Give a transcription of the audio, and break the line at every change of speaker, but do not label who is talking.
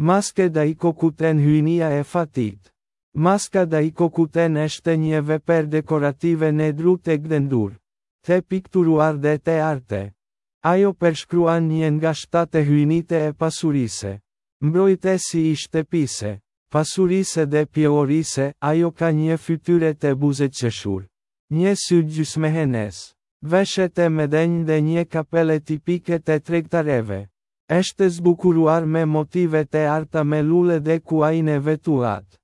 Maska e Daikokuten Hyjnia e fatit. Maska Daikokuten eshte nje veper dekorative ne dru te gdhendur, te pikturuar dhe te arte. Ajo pershkruan një nga shtate hyjnite e pasurise. Mbrojtesi i shtëpise, pasurise dhe pjellorise, ajo ka një fytyre te buzëqeshur. Një sy gjysmëhenes. Veshë te mëdhenj dhe një kapele tipike te tregtareve. Eshte zbukuruar me motive te arta me lule dhe kuajin e vetullat.